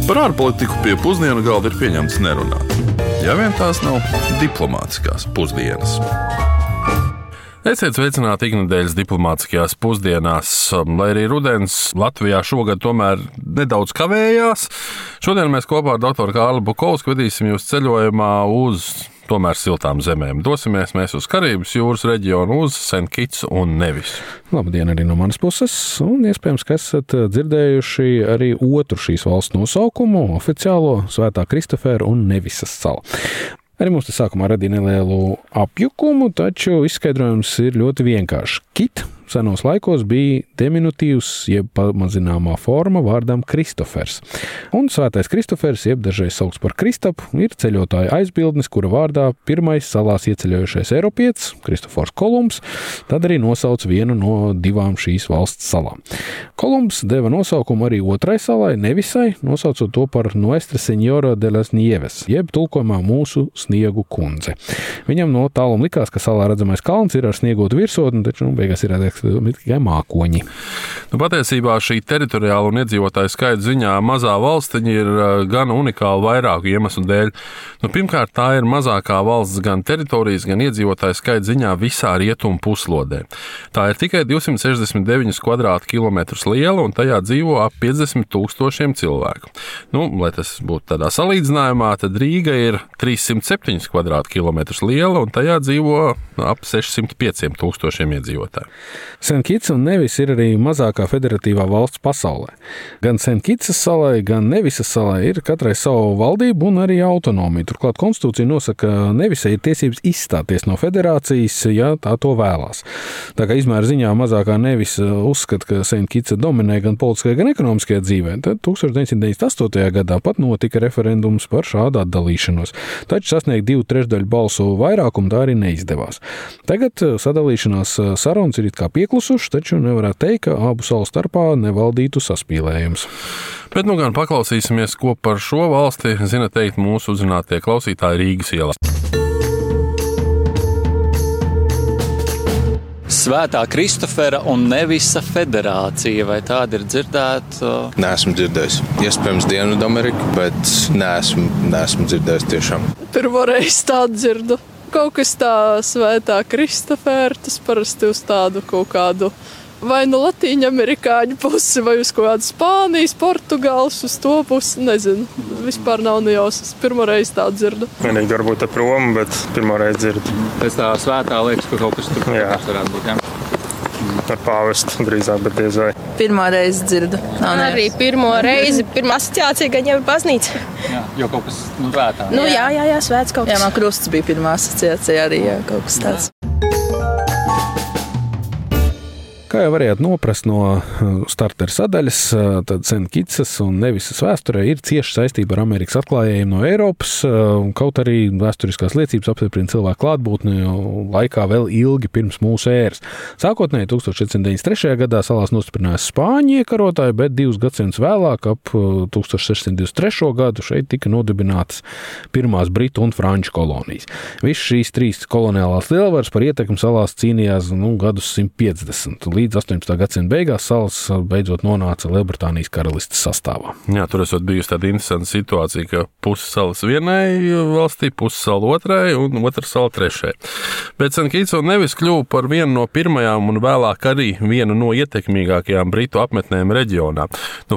Par ārpolitiku pie pusdienu galda ir pieņemts nerunāt. Ja vien tās nav diplomātiskās pusdienas. Esiet sveicināti iknedēļas diplomātiskajās pusdienās, lai arī rudens Latvijā šogad tomēr nedaudz kavējās. Šodien mēs kopā ar doktoru Kārli Bukovsku vedīsim jūs ceļojumā uz tomēr siltām zemēm. Dosimies mēs uz Karības jūras reģionu, uz Sent Kitsu un Nevisu. Labdien arī no manas puses, un iespējams, ka esat dzirdējuši arī otru šīs valsts nosaukumu, oficiālo Svētā Kristofera un Nevisas salu. Arī mums tas sākumā radīja nelielu apjukumu, taču izskaidrojums ir ļoti vienkāršs. Kit senos laikos bija diminutīvs, jeb pamazināmā forma vārdam Kristofers. Un Svētais Kristofers, jeb dažreiz saukts par Kristapu, ir ceļotāja aizbildnis, kura vārdā pirmais salās ieceļojušais Eiropietis, Kristofors Kolumbs, tad arī nosauc vienu no divām šīs valsts salām. Kolumbs deva nosaukumu arī otrai salai, Nevisai, nosaucot to par Nuestra Señora de las Nieves, jeb tulkojumā mūsu sniegu kundze. Viņam no tāluma likās, ka salā redzamais kalns ir ar sniegotu virsotni, taču beigās ir tikai mākoņi. Patiesībā šī teritoriāla un iedzīvotāju skaita ziņā mazā valstiņa ir gan unikāla vairāku iemeslu dēļ. Pirmkārt, tā ir mazākā valsts gan teritorijas, gan iedzīvotāju skaita ziņā visā rietumu puslodē. Tā ir tikai 269 kvadrātkilometrus liela un tajā dzīvo ap 50,000 cilvēku. Lai tas būtu tādā salīdzinājumā, tad Rīga ir 307 kvadrātkilometrus liela un tajā dzīvo ap 605,000 iedzīvotāju. Sent Kitsa un Nevis ir arī mazākā federatīvā valsts pasaulē. Gan Sent Kitsas salai, gan Nevisas salai ir katrai savu valdību un arī autonomiju. Turklāt konstitūcija nosaka, ka Nevisai ir tiesības izstāties no federācijas, ja tā to vēlās. Tā kā izmēra ziņā mazākā Nevisa uzskata, ka Sent Kitsa dominē gan politiskajā, gan ekonomiskajā dzīvē, tad 1998. gadā pat notika referendums par šādu atdalīšanos. Taču sasniegt 2/3 balsu vairākumu tā arī neizdevās. Tagad sadalīšanās sarunas ir it kā pieklusuši, taču nevarētu teikt, ka abu salu starpā nevaldītu saspīlējums. Bet gan paklausīsimies, ko par šo valsti zina teikt mūsu uzzinātie klausītāji Rīgas ielā. Svētā Kristofera un Nevisa federācija, vai tāda ir dzirdēta? Neesmu dzirdējis. Iespējams Dienvidamerika, bet neesmu dzirdējis tiešām. Pirmo reizi tādu dzirdu. Kaut kas tā Svētā Kristofera, tas parasti uz tādu kaut kādu vai nu Latīņu amerikāņu pusi, vai uz kaut kādu Spānijas, Portugāles, uz to pusi, nezinu. Vispār nav nejausmas. Pirmo reizi tādu dzirdu. Vienīgi varbūt ar Romu, bet pirmo reizi dzirdu. Pēc tā svētā liekas, ka kaut kas tur varētu būt, jā? Ar pāvestu drīzāk, bet diez vai. Pirmā reize dzirdu. Arī pirmo reizi, pirmā asociācija gan jau ir baznīca. Jā, jo kaut kas svētā. Jā, svēts kaut kas. Jā, man krusts bija pirmā asociācija arī, jā, kaut kas tāds. Kā jau varējāt noprast no startera sadaļas, tad Sent Kitsas un Nevisas vēsturē ir cieša saistība ar Amerikas atklājējiem no Eiropas, kaut arī vēsturiskās liecības apstiprina cilvēku klātbūtni laikā vēl ilgi pirms mūsu ēras. Sākotnēji 1493. gadā salās nostiprinājās spāņu iekarotāji, bet 2 gadsimtus vēlāk, ap 1623. gadu, šeit tika nodibinātas pirmās britu un franču kolonijas. Visas šīs 3 koloniālās lielvaras par ietekmi salās cīnījās gadus 150. Līdz 18. gadsimta beigās salas beidzot nonāca Lielbritānijas karalistes sastāvā. Jā, tur esot bijusi tāda interesanta situācija, ka pusi salas vienai valstī, pusi sala otrai un otra sala trešai. Bet Sent Kitsa un Nevis kļuva par vienu no pirmajām un vēlāk arī vienu no ietekmīgākajām britu apmetnēm reģionā.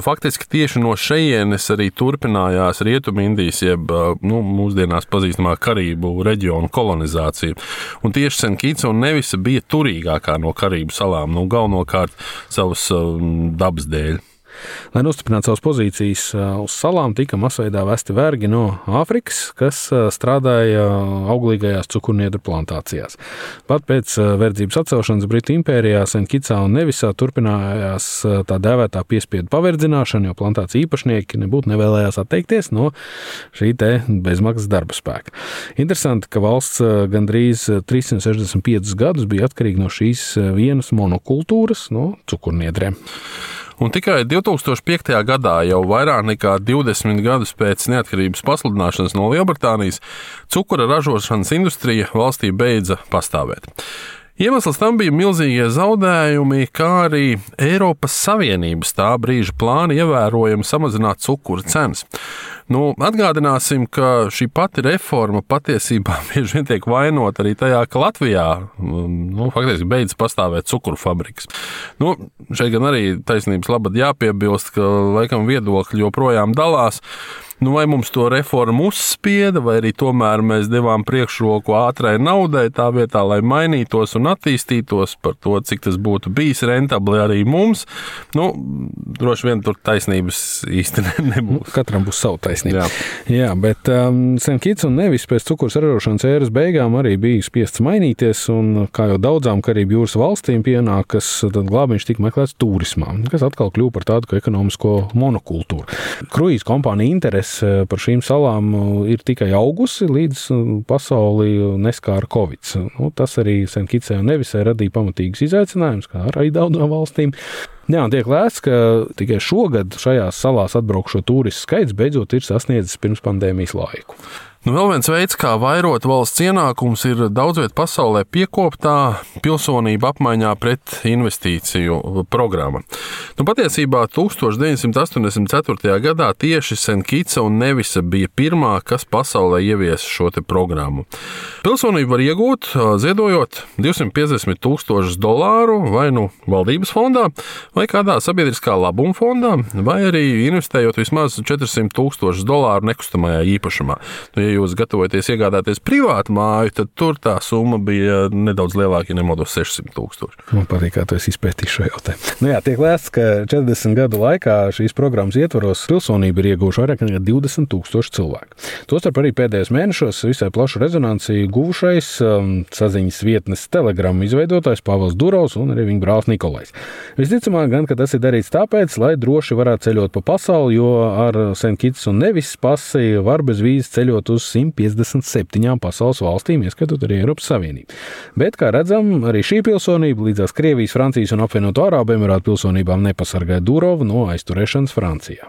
Faktiski tieši no šejienes arī turpinājās Rietumindijas, jeb mūsdienās pazīstamā Karību reģionu kolonizācija. Un tieši Sent Kitsa un Nevisa bija turīgākā no Karību salām, galvenokārt savas dabas dēļ. Lai nostiprinātu savas pozīcijas uz salām, tika masveidā vesti vergi no Āfrikas, kas strādāja auglīgajās cukurniedru plantācijās. Pat pēc verdzības atcelšanas Britu impērijā Sent Kitsā un Nevisā turpinājās tā dēvētā piespiedu paverdzināšana, jo plantāciju īpašnieki nebūtu nevēlējās atteikties no šī te bezmaksas darba spēka. Interesanti, ka valsts gandrīz 365 gadus bija atkarīga no šīs vienas monokultūras, no cukurniedriem. Un tikai 2005. gadā, jau vairāk nekā 20 gadus pēc neatkarības pasludināšanas no Lielbritānijas, cukura ražošanas industrija valstī beidza pastāvēt. Iemesls tam bija milzīgie zaudējumi, kā arī Eiropas Savienības tā brīža plāni ievērojami samazināt cukura cenas. Atgādināsim, ka šī pati reforma patiesībā bieži vien tiek vainota arī tajā, ka Latvijā faktiski beidz pastāvēt cukuru fabrikas. Šeit gan arī taisnības labad jāpiebilst, ka laikam viedokļi joprojām dalās. Vai mums to reformu uzspieda, vai arī tomēr mēs devām priekšroku ātrai naudai tā vietā, lai mainītos un attīstītos par to, cik tas būtu bijis rentabli arī mums. Droši vien tur taisnības īsti nebūs. Katram būs savu taisnību. Jā, bet St. Kitts un Nevis pēc cukuru saražošanas ēras beigām arī bija spiests mainīties, un kā jau daudzām Karību jūras valstīm pienākas, tad glābiņš tika meklēts turismā, kas atkal kļuva par tādu kā ekonomisko monokultūru. Kruīzu kompānija interese par šīm salām ir tikai augusi, līdz pasauli neskāra Covid. Tas arī St. Kittsē un Nevisē radīja pamatīgus izaicinājumus, kā arī daudzām valstīm. Jā, un tiek lēsts, ka tikai šogad šajās salās atbraukšo turistu skaits beidzot ir sasniedzis pirms pandēmijas laiku. Vēl viens veids, kā vairot valsts ienākumus, ir daudzviet pasaulē piekoptā pilsonība apmaiņā pret investīciju programma. Patiesībā 1984. gadā tieši St. Kittsa un Nevisa bija pirmā, kas pasaulē ieviesa šo te programmu. Pilsonību var iegūt, ziedojot $250,000 vai valdības fondā, vai kādā sabiedriskā labuma fondā, vai arī investējot vismaz $400,000 nekustamajā īpašumā. Ja jūs gatavojaties iegādāties privātu māju, tad tur tā summa bija nedaudz lielāka, ja nemaldos 600,000. Man patīk, kā tu esi izpētījis šo jautājumu. Tiek lēsts, ka 40 gadu laikā šīs programmas ietvaros pilsonību ir ieguvuši vairāk nekā 20,000 cilvēku. Tostarp arī pēdējos mēnešos visai plašu rezonanci guvušais saziņas vietnes Telegram izveidotājs Pāvils Durovs un arī viņa brālis Nikolais. Visticamāk gan, ka tas ir darīts tāpēc, lai droši varētu ceļot pa pasauli, jo ar St. Kitts un Nevis pasi var bez vīzes ceļot uz 157 pasaules valstīm, ieskatot arī Eiropas Savienību. Bet, kā redzam, arī šī pilsonība līdzās Krievijas, Francijas un apvienoto Arābu Emirātu pilsonībām nepasargāja Durovu no aizturēšanas Francijā.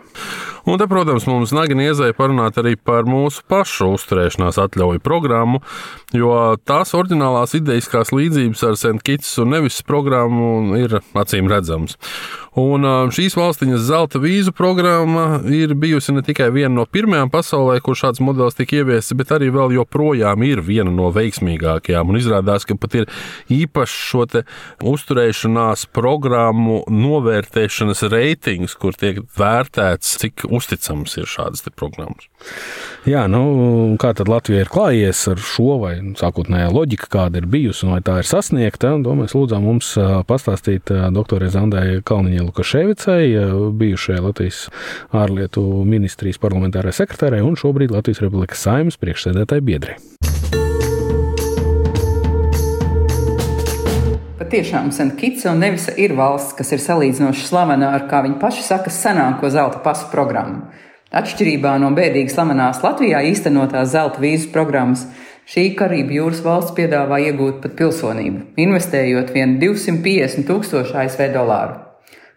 Un te, protams, mums nagin iezēja parunāt arī par mūsu pašu uzturēšanās atļauju programmu, jo tās oriģinālās idejiskās līdzības ar St. Kitts un Nevis programmu ir acīm redzams. Un šīs valstiņas zelta vīzu programma ir bijusi ne tikai viena no pirmajām pasaulē, kur šāds modelis tika ieviests, bet arī vēl joprojām ir viena no veiksmīgākajām. Un izrādās, ka pat ir īpaši šo te uzturēšanās programmu novērtēšanas reitings, kur tiek vērtēts, cik uzticams ir šādas te programmas. Jā, kā tad Latvija ir klājies ar šo, vai sākotnējā loģika, kāda ir bijusi un vai tā ir sasniegta? To mēs lūdzām mums pastāstīt doktorai Zandai Kalniņai Lukaševicai, bijušajai Latvijas ārlietu ministrijas parlamentārai sekretārai un šobrīd Latvijas Republikas Saeimas priekšsēdētāji biedrei. Patiešām St. Kittsa un Nevisa ir valsts, kas ir salīdzinoši slavena ar, kā viņi paši saka, senāko zelta pasu programmu. Atšķirībā no bēdīgi slavenās Latvijā īstenotās zelta vīzu programmas, šī Karību jūras valsts piedāvā iegūt pat pilsonību, investējot vien $250,000 ASV.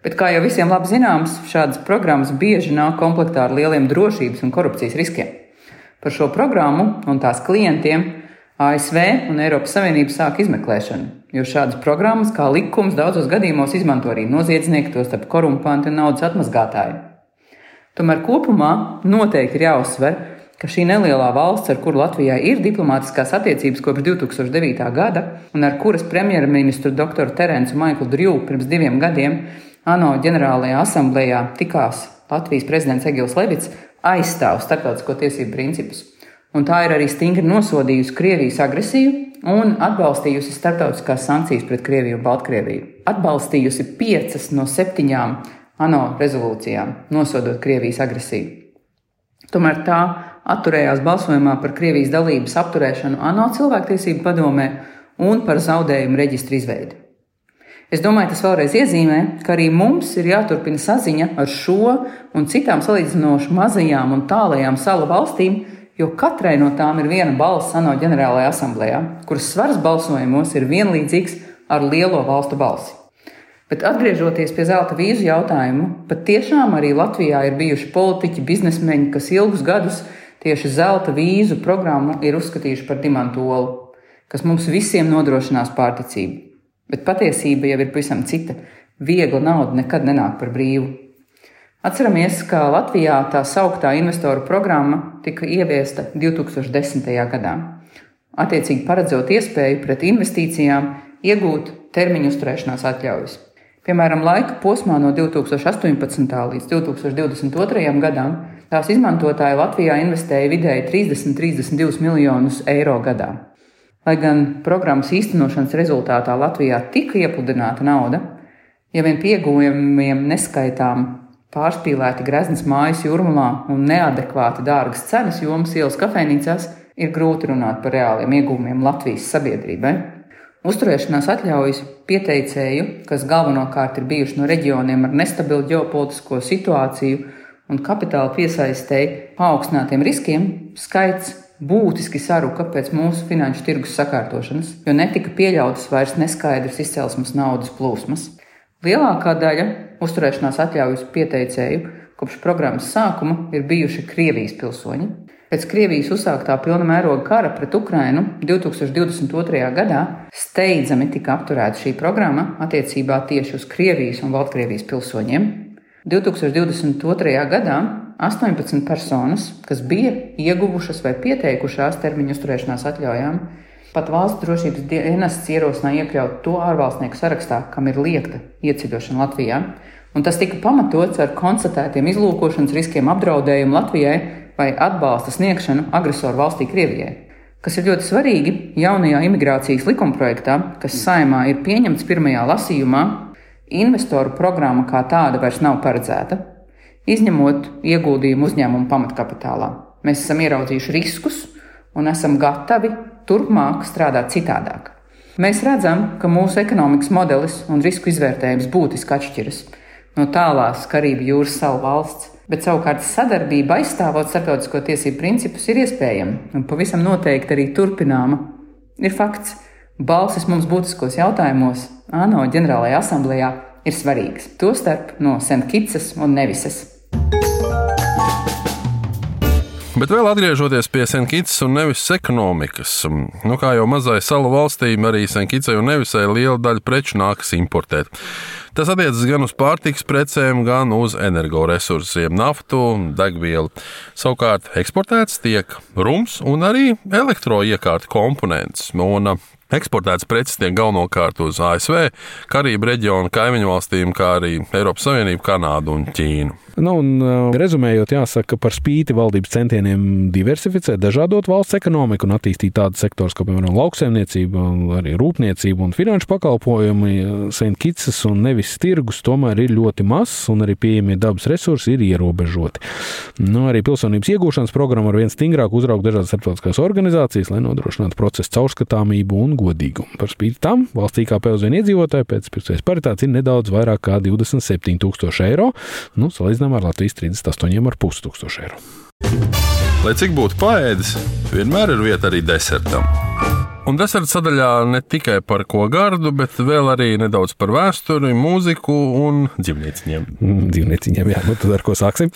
Bet, kā jau visiem labi zināms, šādas programmas bieži nāk komplektā ar lieliem drošības un korupcijas riskiem. Par šo programmu un tās klientiem ASV un Eiropas Savienība sāk izmeklēšanu, jo šādas programmas kā likums daudzos gadījumos izmanto arī noziedznieki, tostarp korumpanti un naudas atmazgātāji. Tomēr kopumā noteikti ir jāuzsver, ka šī nelielā valsts, ar kuru Latvijā ir diplomātiskās attiecības kopš 2009. gada un ar kuras premjerministru doktoru Terencu Maiklu Drjūvu pirms 2 gadiem ANO ģenerālajā asamblējā tikās Latvijas prezidents Egils Levits, aizstāv starptautisko tiesību principus. Un tā ir arī stingri nosodījusi Krievijas agresiju un atbalstījusi starptautiskās sankcijas pret Krieviju un Baltkrieviju. Atbalstījusi 5 no 7 ANO rezolūcijām, nosodot Krievijas agresiju. Tomēr tā atturējās balsojumā par Krievijas dalības apturēšanu ANO cilvēktiesību padomē un par zaudējumu reģistru izveidi. Es domāju, tas vēlreiz iezīmē, ka arī mums ir jāturpina saziņa ar šo un citām salīdzinoši mazajām un tālajām salu valstīm, jo katrai no tām ir viena balss ANO ģenerālajā asamblējā, kuras svars balsojumos ir vienlīdzīgs ar lielo valstu balsi. Bet atgriežoties pie zelta vīzu jautājumu, pat tiešām arī Latvijā ir bijuši politiķi, biznesmeņi, kas ilgus gadus tieši zelta vīzu programmu ir uzskatījuši par dimantu olu. kas mums visiem nodrošinās pārticību. Bet patiesība jau ir pavisam cita. Viegla nauda nekad nenāk par brīvu. Atceramies, ka Latvijā tā sauktā investoru programma tika ieviesta 2010. gadā. Attiecīgi paredzot iespēju pret investīcijām iegūt termiņu uzturēšanās atļaujas. Piemēram, laika posmā no 2018. līdz 2022. gadam tās izmantotāji Latvijā investēja vidēji 30–32 miljonus eiro gadā. Lai gan programmas īstenošanas rezultātā Latvijā tika iepludināta nauda, ja vien pie ieguvumiem neskaitām pārspīlēti greznas mājas Jūrmalā un neadekvāti dārgas cenas jomas ielas kafejnīcās, ir grūti runāt par reāliem ieguvumiem Latvijas sabiedrībai. Uzturēšanās atļaujas pieteicēju, kas galvenokārt ir bijuši no reģioniem ar nestabilu ģeopolitisko situāciju un kapitāla piesaistēji paaugstinātiem riskiem, skaits būtiski saruka pēc mūsu finanšu tirgus sakārtošanas, jo netika pieļautas vairs neskaidras izcelsmes naudas plūsmas. Lielākā daļa uzturēšanās atļaujas pieteicēju kopš programmas sākuma ir bijuši Krievijas pilsoņi. Pēc Krievijas uzsāktā pilna mēroga kara pret Ukrainu 2022. gadā steidzami tika apturēta šī programma attiecībā tieši uz Krievijas un Baltkrievijas pilsoņiem. 2022. gadā 18 personas, kas bija ieguvušas vai pieteikušās termiņu uzturēšanās atļaujām, pat valsts drošības dienests ierosināja iekļaut to ārvalstnieku sarakstā, kam ir liekta ieceļošana Latvijā, un tas tika pamatots ar konstatētiem izlūkošanas riskiem apdraudējumu Latvijai vai atbalsta sniegšanu agresoru valstī Krievijai. Kas ir ļoti svarīgi, jaunajā imigrācijas likumprojektā, kas Saeimā ir pieņemts pirmajā lasījumā, investoru programma kā tāda vairs nav paredzēta, izņemot ieguldījumu uzņēmumu pamatkapitālā. Mēs esam ieraudzījuši riskus un esam gatavi turpmāk strādāt citādāk. Mēs redzam, ka mūsu ekonomikas modelis un risku izvērtējums būtiski atšķiras no tālās Karību jūras salu valsts, bet savukārt sadarbība aizstāvot starptautisko tiesību principus ir iespējama un pavisam noteikti arī turpināma. Ir fakts, balsis mums būtiskos jautājumos ANO ģenerālajā asamblējā ir svarīgas, tostarp no Sent Kitsas un Nevisas. Bet vēl atgriežoties pie Sent Kitsas un Nevisas ekonomikas, kā jau mazai salu valstīm, arī Sent Kitsai un Nevisai liela daļa preču nākas importēt. Tas attiecas gan uz pārtikas precēm, gan uz energoresursiem, naftu, degvielu. Savukārt eksportēts tiek rums un arī elektroiekārtu komponents. Un eksportēts preces tiek galvenokārt uz ASV, Karību reģionu, kaimiņu valstīm, kā arī Eiropas Savienību, Kanādu un Ķīnu. Rezumējot, jāsaka, ka par spīti valdības centieniem diversificēt, dažādot valsts ekonomiku un attīstīt tādus sektors, kā piemēram lauksaimniecība, arī rūpniecība un finanšu pakalpojumi, Sent Kitsas un Nevisas tirgus tomēr ir ļoti mazs un arī pieejamie dabas resursi ir ierobežoti. Arī pilsonības iegūšanas programma ar vien stingrāk uzrauga dažādas starptautiskās organizācijas, lai nodrošinātu procesu caurskatāmību un godīgumu. Par spīti tam valsts IKP uz vienu iedzīvotāju pēc pirktspējas paritātes ir nedaudz vairāk kā 27,000 eiro, salīdzinām ar Latvijas 38,500 eiro. Lai cik būtu paēdis, vienmēr ir vieta arī desertam. Un deserta sadaļā ne tikai par ko gardu, bet vēl arī nedaudz par vēsturi, mūziku un dzīvnieciņiem. Dzīvnieciņiem, jā, tad ar ko sāksim?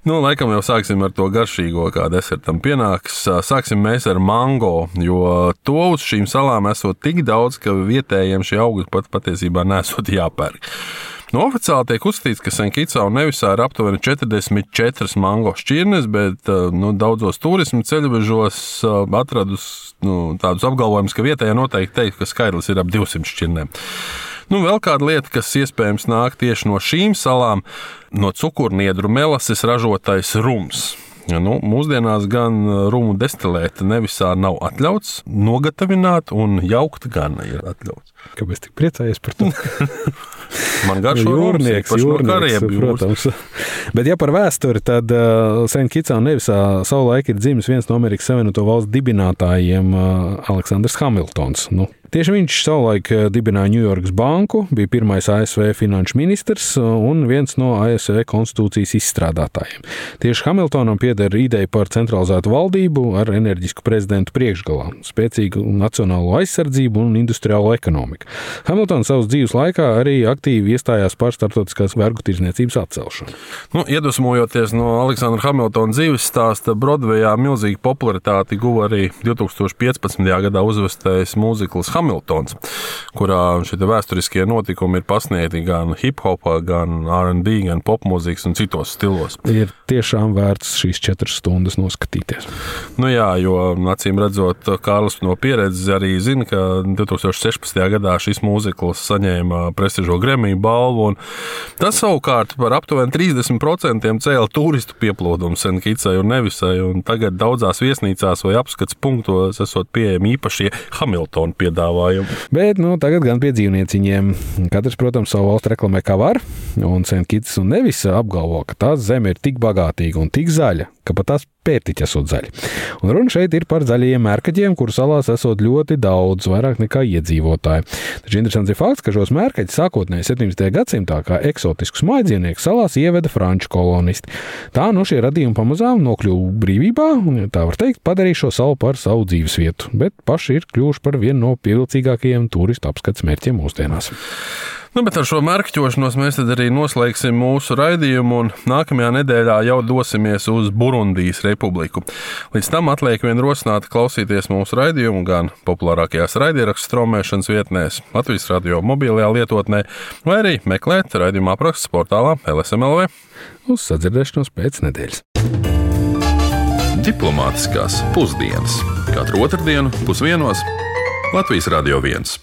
Laikam jau sāksim ar to garšīgo, kā desertam pienāks. Sāksim mēs ar mango, jo to uz šīm salām esot tik daudz, ka vietējiem šie augļi pat patiesībā nesot jāpērk. Oficiāli tiek uzskatīts, ka Sent Kitsā un Nevisā ir aptuveni 44 mango šķirnes, bet daudzos turismu ceļvežos atradus tādus apgalvojumus, ka vietējā noteikti teikt, ka skaidrs ir ap 200 šķirnēm. Vēl kāda lieta, kas iespējams nāk tieši no šīm salām, no cukurniedru melases ražotais rums. Mūsdienās gan rumu destilēt Nevisā nav atļauts, nogatavināt un jaukt gan ir atļauts. Kāpēc tik priecājies par to? Man garšo jūrnieks, protams. Bet ja par vēsturi, tad Sent Kitsā un Nevisā savulaik ir dzimis viens no Amerikas Savienoto Valstu dibinātājiem, Aleksandrs Hamiltons. Tieši viņš savulaik dibināja Ņujorkas banku, bija pirmais ASV finanšu ministrs un viens no ASV konstitūcijas izstrādātājiem. Tieši Hamiltonam pieder ideja par centralizētu valdību ar enerģisku prezidentu priekšgalā, spēcīgu nacionālo aizsardzību un industriālo ekonomiku. Hamiltons savas dzīves laikā arī aktīvi iestājās par starptautiskās vergu tirdzniecības atcelšanu. Iedvesmojoties no Aleksandra Hamiltona dzīves stāsta, Brodvejā milzīgu popularitāti guva arī 2015. gadā uzvestais mūzikls Hamiltons, kurā šie vēsturiskie notikumi ir pasniegti gan hip-hopā, gan R&B, gan popmūzikas un citos stilos. Ir tiešām vērts šīs 4 stundas noskatīties. Jā, jo acīm redzot, Kārlis no pieredzes arī zina, ka 2016. gadā šis mūzikls saņēma prestižo Grammy balvu, un tas savukārt par aptuveni 30% cēla turistu pieplūdumu St. Kitsai un Nevisai, un tagad daudzās viesnīcās vai apskats punktos esot pieejami īpašie Hamiltona piedāvājumi. Bet tagad gan pie dzīvnieciņiem. Katrs, protams, savu valstu reklamē kā var, un St. Kits un Nevisa apgalvo, ka tās zeme ir tik bagātīga un tik zaļa, ka pat tās pērtiķi esot zaļi. Un runa šeit ir par zaļajiem mērkaģiem, kuru salās esot ļoti daudz, vairāk nekā iedzīvotāji. Taču interesants ir fakts, ka šos mērkaģus sākotnēji 17. gadsimtā kā eksotiskus mājdzīvniekus salās ieveda franču kolonisti. Tā šie radījumi pamazām nokļuva brīvībā un, tā var teikt, padarīja šo salu par savu dzīvesvietu, bet paši ir kļuvuši par vienu no pievilcīgākajiem turistu apskats mērķiem mūsdienās. Bet ar šo mērķošanos mēs tad arī noslēgsim mūsu raidījumu un nākamajā nedēļā jau dosimies uz Burundijas republiku. Līdz tam atliek vien rosināt klausīties mūsu raidījumu gan populārākajās raidierakstu straumēšanas vietnēs, Latvijas radio mobilajā lietotnē, vai arī meklēt raidījuma apraksts portālā LSM.LV. Uz sadzirdēšanos pēc nedēļas. Diplomātiskās pusdienas. Katru otrdienu 12:00 Latvijas Radio 1.